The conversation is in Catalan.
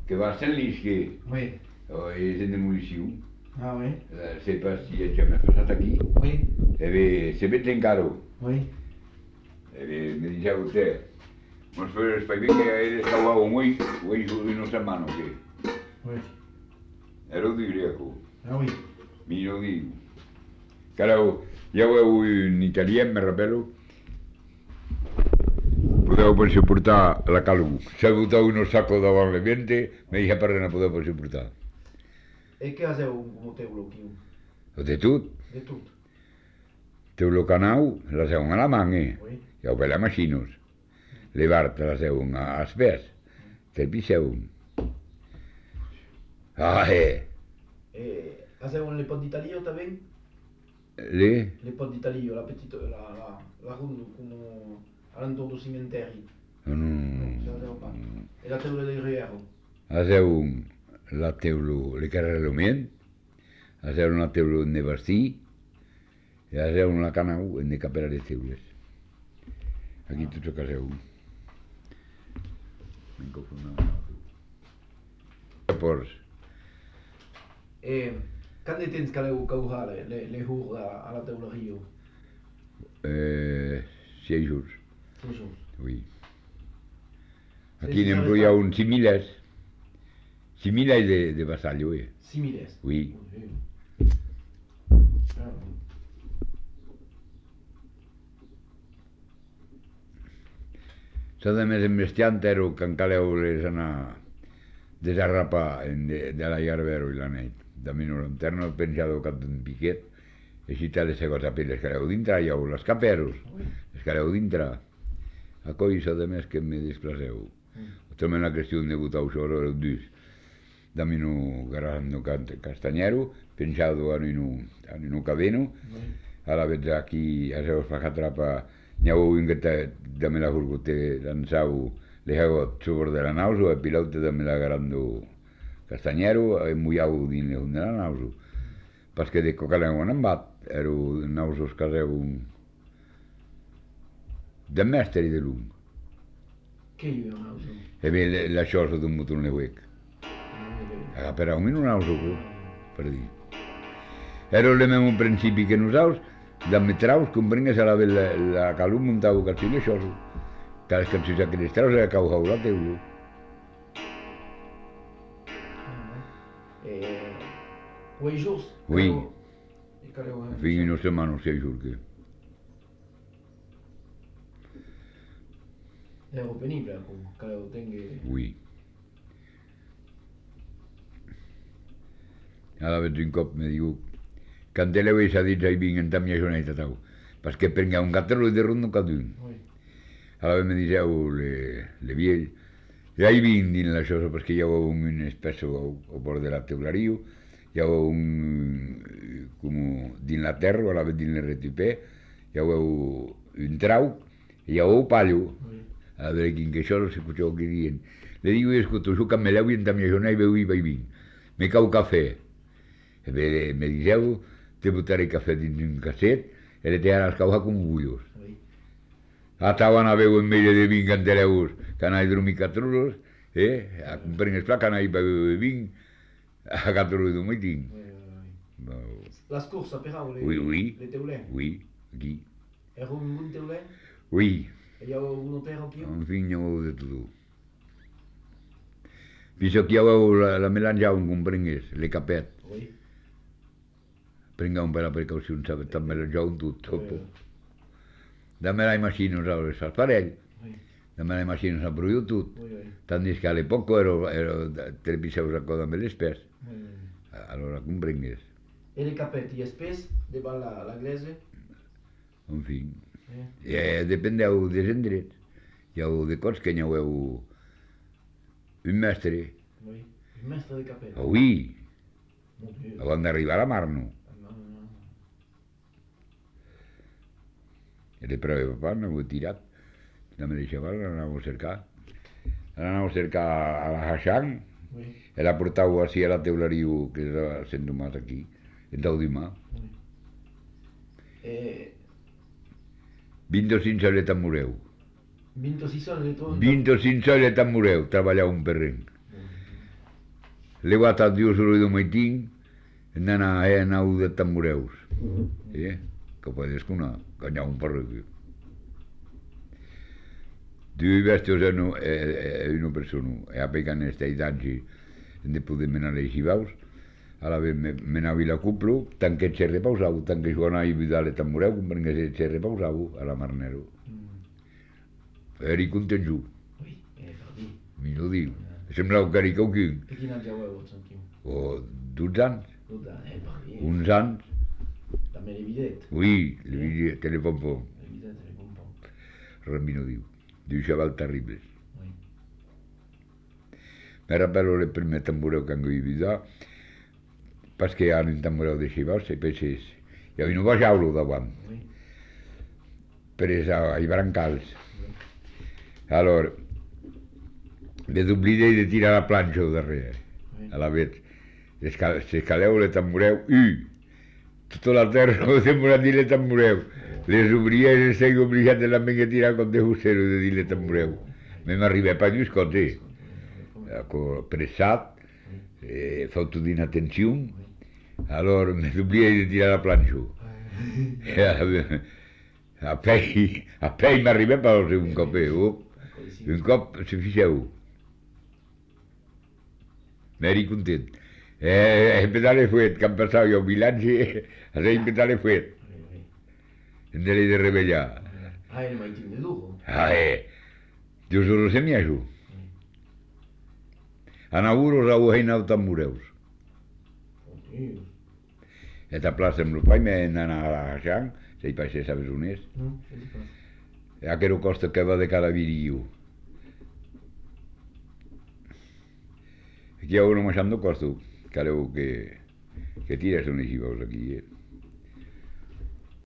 que va a Saint-Lisquet, Oui. és en demolició. Ah oui. Sé pas si ja m'ha passat aquí. Oui. Se veig encara. Oui. Me diceva vostè, mos fes espai bé que eres cauat un ull, una setmana o què? Oui. Era ho diria, Ah oui. millor diu. Que ara ja ho heu en italià, me rappelo. Podeu per soportar la calor. Se boteu unos sacos davant l'ambiente, me dice per no podeu per soportar. E che fazeu como teulo aquí? De tot. De tot. Teu lo canau, la seu a la manga. Oui. Ja ho ve la machinos. Levar-te la seu als pes. Te piseu. Ah, E fazeu le pot d'Italia também? Le? Le pot d'Italia, la petite, la rue como alentour do cimetière. Non. Ça fazeu pas. E la teula de Riero. Aseu la teulo, le carrelomien. Aseu una teulo de bastí. I aseu una canau en de capera de teules. Aquí tots que aseu. M'he confonat. Llavors, E quand de temps caleu caujar le hur a la teula Rio? 6 jours. 6 jours. Oui. Sí, Aquí sí, n'hem sabes brollat pas. un 6.000 6.000 de vassallo, 6.000. Oui. Ah, S'ha de més embestiant ero que encaleu les anar desarrapar de la Iarbero i la nit. De mi no lanterna he penjado cap d'un piquet i si t'ha de ser cosa per les caleu dintre, ja ho les caperos, les caleu dintre. A coi s'ha de més que me desplaceu. També la qüestió de botar sobre el dus. Da mi no garando castañero, penjado en un cadeno, ara veig aquí a seus fa atrapa n'heu vingut de me la gurgote lanzau le hago sobre de la nauso e pilote de me la garando castañero e muiau din le de la nauso parce de coca le han bat ero nausos caseu de mesteri de lung che io non so. e ve la cosa d'un motor ne wec però un nauso per dir ero le mesmo principi que nosaltres d'ammetraus comprengues a la calor muntau calcino això que les cançons a cristraus era caujau la teulo. Huit jours? Oui. E caleu? Fins una setmana o 6 jours que. Era penible, caleu tingui... Oui. Ara veig un cop me diu Canteleu i s'ha dit ai vinc en ta mia joneta tau perquè prenga un gatero de rondo cadun. Ara me diceu le viell e ai vinc din la cosa perquè hi ha un espesso o bord de la teulario hi ha un com din la terra ara veig din le retipè hi ha un trau hi ha un pallo a veure quin que això no s'escucheu que dient le digo i escuto su cameleu i en ta mia joneta i veu i vai vinc me cau cafè me diceu te butare cafè dins un casset e le te ara els cauja com bullos. Estaven a veu en medio de 20 canteleus que anai dormir 4 hores, a comprar pla que anai beure 20 a 4 hores de meeting. Les courses, però, les teulers? Oui, aquí. Era un bon teuler? Oui. Hi ha un hotel aquí? En fin, hi ha de tot. Fins aquí hi ha la melange on comprengues, le capet. Oui. Prenga un per la precaució, també melanjau un tot. Dammi la immagino, saps, al parell. Dammi la immagino, s'ha produït tot. Tant que a l'època ero 3 piseus a coda amb l'espès. Allora comprengues. E le capetti espès davant la glese? En fi. Dependeu dels indrets. Hi ha de cots que n'hi ha un mestre. Oui. Un mestre de capet? Oui. Abans d'arribar a Marno. Le prove papà n'ho tirat. No me deixava, l'anàvem a cercar. L'anàvem a cercar a la Hachang e la portau així a la teularia que és a Sant Tomàs aquí, en Taudimà. 25 solet en moreu. 26 solet? 25 solet en moreu, treballar un perrenc. levata Dios lo do maitín, nana nau de tambureus. Que podes kuna, kanya un parrego. Du vestos una persona, e apegan esta idanci, de poder menare i xivaus, a la vez menavi la cuplo, tant que c'è repausau, tant que suona i vidale tambureu, perché c'è repausau a la marnero. Eri content giù. Mi lo dico. Semblava que eri qualcun. E quin anys heu sentit? O 12 anys. 12 anys, Uns anys. La mère evident. Oui, le vidie, te le pompom. Evident, te le pompom. Rambino diu. Diu xaval terribles. Oui. Mi rappello le prime tambureu che hanno vivido, perché hanno un tambureu de xivaus, e penses, hi havia un baixaulo davant, per ai brancals. Allora, me d'oblidei de tirar la planxa al darrere, a la vez. S'escaleu le tambureu, tota la terra no sembra dir le tambureu. Les obria i les seguo obligat de la menga tirar com de hussero de dir le tambureu. Me m'arriba pa gius cose. Pressat, fatto d'inattenzione, allora me d'obligai de tirar la planxa. A pei m'arriba pa un cop, un cop se fixeu. M'eri content. Pedale fuet, que han passat jo 1000 anys a ser pedale fuet. Hem de l'he de revellar. Era mai tinc de lujo. Dios lo se mi això. Anaguros au heinau tambureus. Eta plaça amb lo pai m'he anat a Xang, sei pa se sabes on és. No, és pas. Aquero costa que va de cada virillo. Aquí a uno manxando costo. Creo que tiras unes xivaus aquí,